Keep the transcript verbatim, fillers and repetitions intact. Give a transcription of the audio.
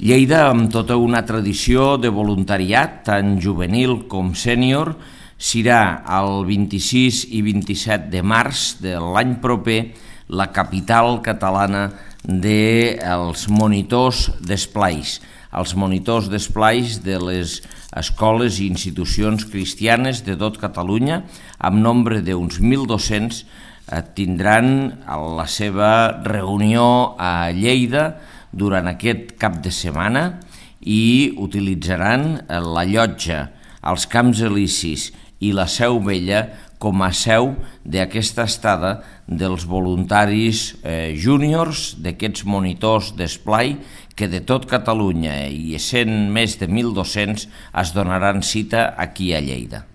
Lleida, amb tota una tradició de voluntariat, tant juvenil com sènior, serà el vint-i-sis i vint-i-set de març de l'any proper la capital catalana dels monitors d'esplais, els monitors d'esplais de les escoles i institucions cristianes de tot Catalunya, amb nombre d'uns mil dos-cents, tindran la seva reunió a Lleida durant aquest cap de setmana i utilitzaran la llotja, els Camps Elisis i la Seu Vella com a seu d'aquesta estada dels voluntaris eh, júniors, d'aquests monitors d'esplai que de tot Catalunya i sent més de mil dos-cents es donaran cita aquí a Lleida.